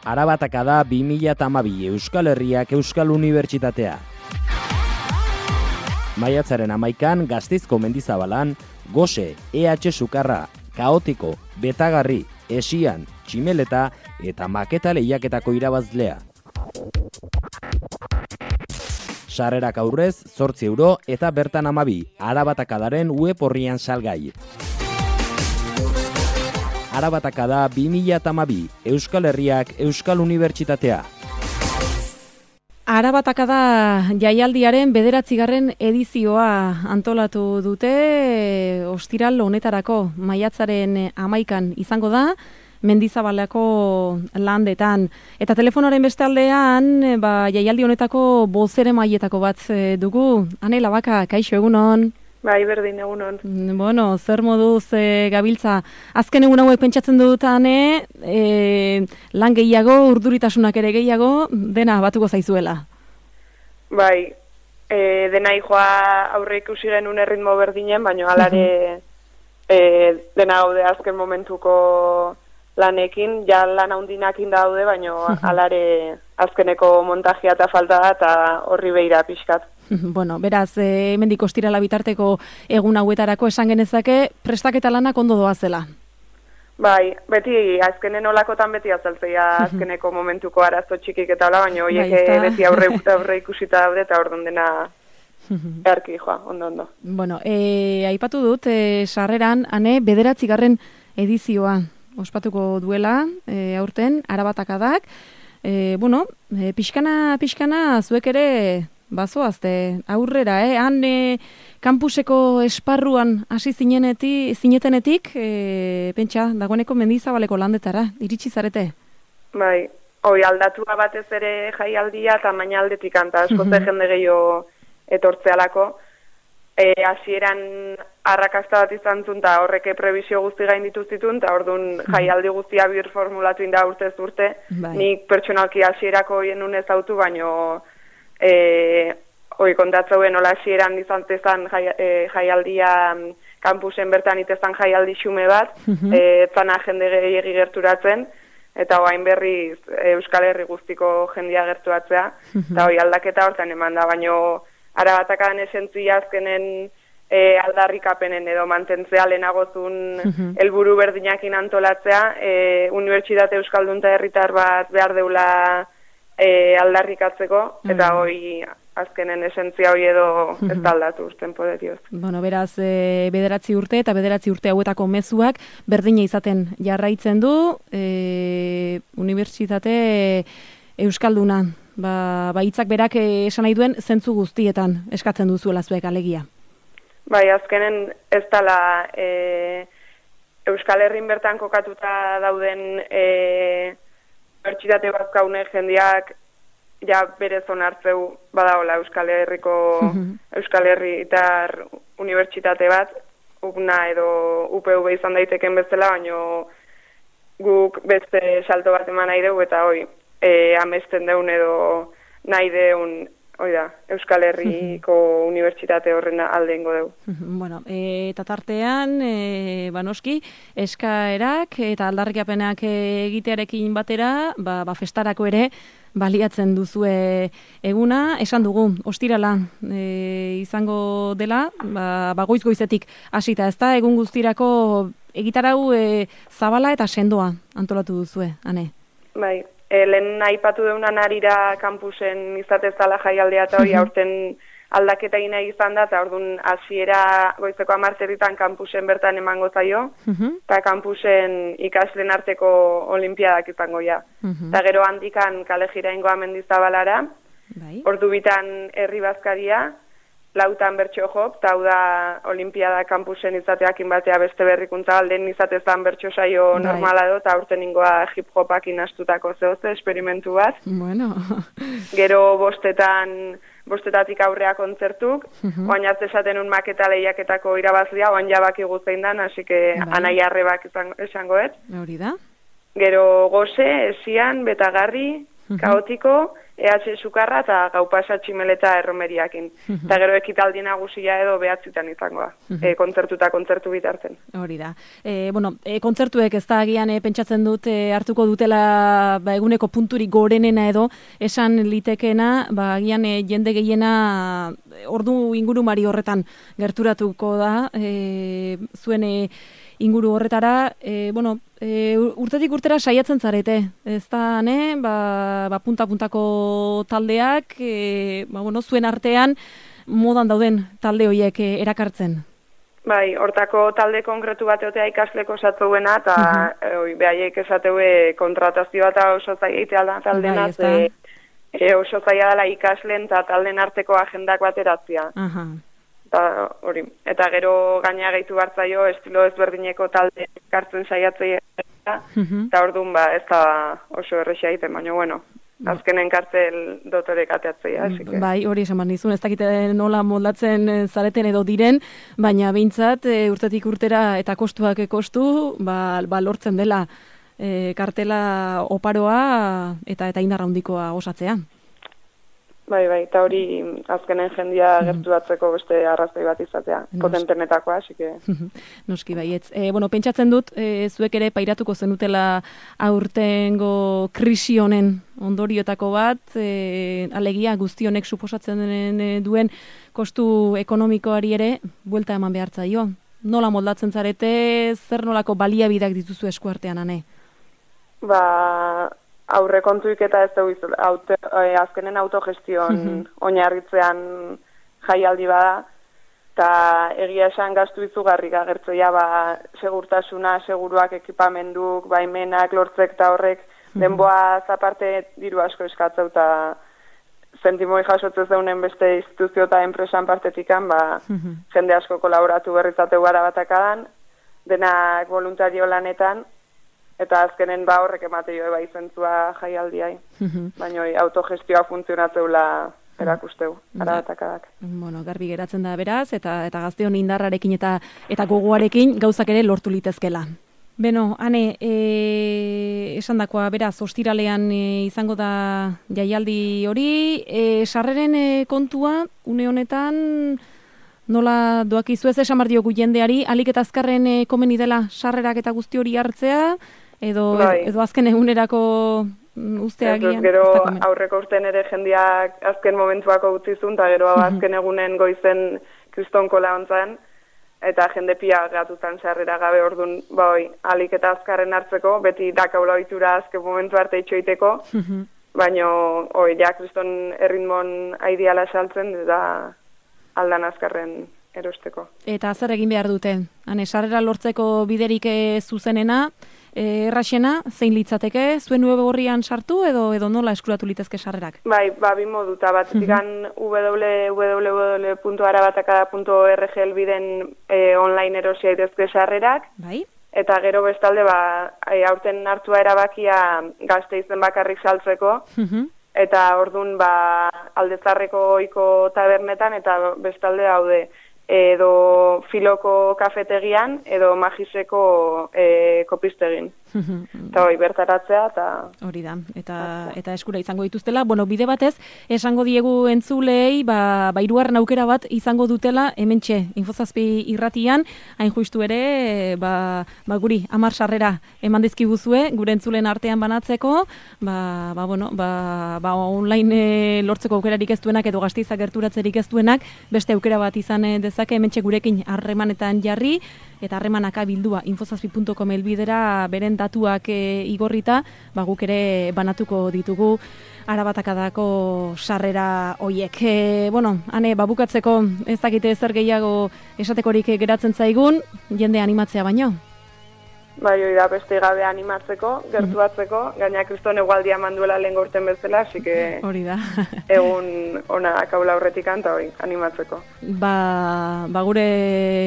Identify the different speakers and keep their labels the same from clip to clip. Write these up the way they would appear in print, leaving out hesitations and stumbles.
Speaker 1: Arabataka da 2012 Euskal Herriak Euskal Unibertsitatea. Maiatzaren 11an Gasteizko Mendizabalan, gose, EH sukarra, kaotiko, betagarri, esian, tximeleta eta maketa lehiaketako irabazlea. Sarrerak aurrez, 8 euro eta bertan 12, Arabatakadaren web orrian salgai. Arabatakada 2012, Euskal Herriak Euskal Unibertsitatea.
Speaker 2: Arabatakada jaialdiaren 9. edizioa antolatu dute ostiral honetarako maiatzaren 11an izango da Mendizabaleko landetan. Eta telefonoaren beste aldean, jaialdi honetako bozeremailetako bat dugu. Ane Labaka, kaixo, egunon?
Speaker 3: Bai, berdin, egunon.
Speaker 2: Bueno, zer moduz gabiltza? Azken egun hauek pentsatzen dut, Ane, lan gehiago, urduritasunak ere gehiago, dena batuko zaizuela.
Speaker 3: Bai, dena joa aurre ikusi genuen erritmo berdinen, baina alare dena gaude azken momentuko lanekin, ja lan handinakin daude, baina alare azkeneko montajea eta falta da, eta horri behira pixkat.
Speaker 2: Bueno, beraz, hemendik ostirala bitarteko egun hauetarako esan genezake, prestaketa lanak ondo doazela.
Speaker 3: Bai, beti azkenen olakotan beti azaltzea azkeneko momentuko arazo txikik eta hola, baina horiek beti aurre ikusita daude eta orduan dena erki joa, ondo.
Speaker 2: Bueno, aipatu dut, sarreran, Ane, 9. edizioa ospatuko duela, aurten, Arabatakadak. Pixkana, zuek ere bazoazte aurrera, han kampuseko esparruan hasi zinetenetik, pentsa, dagoeneko Mendizabaleko landetara, iritsi zarete?
Speaker 3: Bai, aldatua batez ere jaialdia eta maina aldetik anta, askoze jende gehiago etortzealako. Hasieran arrakasta bat izan zuen, eta horreke prebizio guzti gainditu zituen, eta orduan jaialdi guztia bir formulatu inda urtez urte. Nik pertsonalki hasierako hien unez autu, baino kontatzauen hola hasieran izan tezan jaialdia kampusen bertan itezan jaialdi xume bat, zana jende gehiagi gerturatzen, eta hain berriz Euskal Herri guztiko jendia gerturatzea, eta aldaketa hortan eman da, baino Arabatakadan esentzia azkenen aldarrikapenen edo mantentzea lehenagozun helburu berdinakin antolatzea, Unibertsitate Euskaldun eta herritar bat behar deula aldarrikatzeko, eta azkenen esentzia hori edo ez da aldatu urten podetioz.
Speaker 2: Bueno, beraz, 9 urte eta 9 urte hauetako mezuak berdina izaten jarraitzen du Unibertsitate Euskalduna. Hitzak berak esan nahi duen zentzu guztietan eskatzen duzuela zuek alegia.
Speaker 3: Bai, azkenen ez dala Euskal Herrin bertan kokatuta dauden Unibertsitate bazkaune jendeak ja berez onartzeu badaola Euskal Herritar Unibertsitate bat, UPNA edo UPV izan daiteken bezala, baino guk beste salto bat eman nahi dugu eta amesten deun edo nahi deun Euskal Herriko Unibertsitate horren aldeengo dugu.
Speaker 2: Bueno, eta tartean, noski, eskaerak eta aldarrikapenak egitearekin batera, festarako ere baliatzen duzue eguna, esan dugu, ostirala izango dela, goiz-goizetik hasita, ez da, egun guztirako egitarau zabala eta sendoa antolatu duzue, Ane?
Speaker 3: Bai. Lehen aipatu deunan arira kampusen izatezala jaialdea eta hori aurten aldaketa nahi izan da, eta orduan hasiera goizeko 10 kampusen bertan emango zaio, eta kampusen ikasleen arteko olimpiadak izango ja. Eta gero handikan kale jiraingoa Mendizabalara, ordu bitan herri bazkaria, 4 bertso jop, eta hau da olimpiada kampusen izateakin batea beste berrikuntza, alden izatezan bertso saio normala edo, eta aurten ingoa hip-hopakin astutako zehoze, esperimentu bat.
Speaker 2: Bueno.
Speaker 3: Gero bostetatik aurrea kontzertuk, oain hartz esaten un maketa lehiaketako irabazlia, oain jabaki guzein dan, hasi que anai arrebak esangoet.
Speaker 2: Hori da.
Speaker 3: Gero gose, esian, betagarri, kaotiko, EH Sukarra eta Gau Pasa Tximeleta erromeriakin. Eta gero ekitaldi nagusia edo 9 izangoa, kontzertu eta kontzertu bitarten.
Speaker 2: Hori da. Kontzertuek ez da agian pentsatzen dut hartuko dutela eguneko punturik gorenena edo esan litekena, agian jende gehiena ordu ingurumari horretan gerturatuko da, zuen inguru horretara, urtetik urtera saiatzen zarete, ez da, punta-puntako taldeak, zuen artean modan dauden talde horiek erakartzen.
Speaker 3: Bai, hortako talde konkretu bat egotea ikasleko esatzuena, eta behaiek esateue kontratazioa eta oso zaila da taldenaz, oso zaila dela ikasleen eta talden arteko agendak bateratzea. Eta gero gaina gehitu bartzaio estilo ezberdineko talde kartzen saiatzea, eta orduan ez da oso errexea egiten, baina azkenen kartzel dotorek ateatzea.
Speaker 2: Bai, hori esan nizun, ez dakite nola moldatzen zareten edo diren, baina behintzat urtetik urtera eta kostuak kostu, lortzen dela kartela oparoa eta indarra handikoa osatzea.
Speaker 3: Bai, eta hori azkenen jendia gerturatzeko beste arrazoi bat izatea, potentenetakoa, asike.
Speaker 2: Noski baietz. Pentsatzen dut, zuek ere pairatuko zenutela aurtengo krisi honen ondoriotako bat, alegia guzti honek suposatzen duen kostu ekonomikoari ere buelta eman behartzaio. Nola moldatzen zarete, zer nolako baliabideak dituzu eskuartean, ane?
Speaker 3: Aurrekontuik eta ez dugu azkenen autogestion oinarritzean jaialdi bada, eta egia esan gastu izugarrik agertzea segurtasuna, seguruak, ekipamenduk, baimenak, lortzek eta horrek, denboa zaparte diru asko eskatzeu eta zentimoi jasotzez deunen beste instituzio eta enpresan partetikan, jende asko kolaboratu berrizateu gara batakadan, denak voluntario lanetan, eta azkenen horrek emateio zentzua jaialdiai. Baina autogestioa funtzionatzeula erakusteu, arabatakadak.
Speaker 2: Garbi geratzen da beraz, eta gazteon indarrarekin eta gogoarekin gauzak ere lortu litezkela. Beno, ane, esan dakoa, beraz, ostiralean izango da jaialdi hori, sarreren kontua, une honetan, nola doakizu ez esan bardiogu jendeari, alik eta azkarren komeni dela sarrerak eta guzti hori hartzea, edo azken egunerako usteagian.
Speaker 3: Gero aurreko urten ere jendeak azken momentuako utzizun, eta gero azken egunen goizen kristonkola ontzan, eta jende pia gatutan sarrera gabe orduan, alik eta azkarren hartzeko, beti dakaula ohitura azken momentu arte itxoiteko, baina kriston erritmon aidiala saltzen, eta aldan azkarren erosteko.
Speaker 2: Eta zer egin behar dute? Sarrera lortzeko biderik zuzenena, erraxena, zein litzateke, zuen web horrian sartu edo nola eskuratu litezke sarrerak?
Speaker 3: Bai, bi moduta bat, www.arabatakada.org elbiden online erosia idezke sarrerak, eta gero bestalde, aurten hartua erabakia gazte izen bakarrik saltzeko, eta orduan aldezarreko oiko tabernetan, eta bestalde daude, edo filoko kafetegian, edo magiseko kopistegin. Eta bertaratzea, eta...
Speaker 2: Hori da, eta eskura izango dituztela. Bide batez, esango diegu entzulei, hirugarren aukera bat izango dutela, hementxe, Infozazpi irratian, hain justu ere, guri, 10 sarrera eman dizkiguzue, gure entzulen artean banatzeko, online lortzeko aukerarik ez duenak, edo Gasteizak gerturatzerik ez duenak, beste aukera bat izan dezake, hementxe gurekin harremanetan jarri, eta harremanaka bildua infozazpi.com elbidera beren datuak igorrita, guk ere banatuko ditugu arabatakadako sarrera hoiek. Hane, bukatzeko ez dakite zer gehiago esatekorik geratzen zaigun, jende animatzea baino.
Speaker 3: Bai, hori da, beste gabe animatzeko, gertuatzeko, gaina kriston egualdia manduela lehen gaurten bezala, así que
Speaker 2: hori da.
Speaker 3: Egun ona kaula horretik anta hori, animatzeko.
Speaker 2: Gure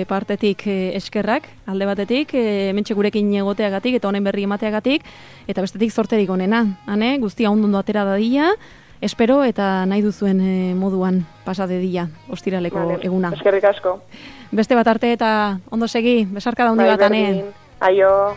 Speaker 2: partetik eskerrak, alde batetik, hementxe gurekin egoteagatik eta honen berri emateagatik, eta bestetik zorterik onena, hane, guztia ondo atera dadila, espero eta nahi duzuen moduan pasa dedila, ostiraleko eguna.
Speaker 3: Eskerrik asko.
Speaker 2: Beste bat arte eta ondo segi, besarka da hundi bat, hane.
Speaker 3: Aio.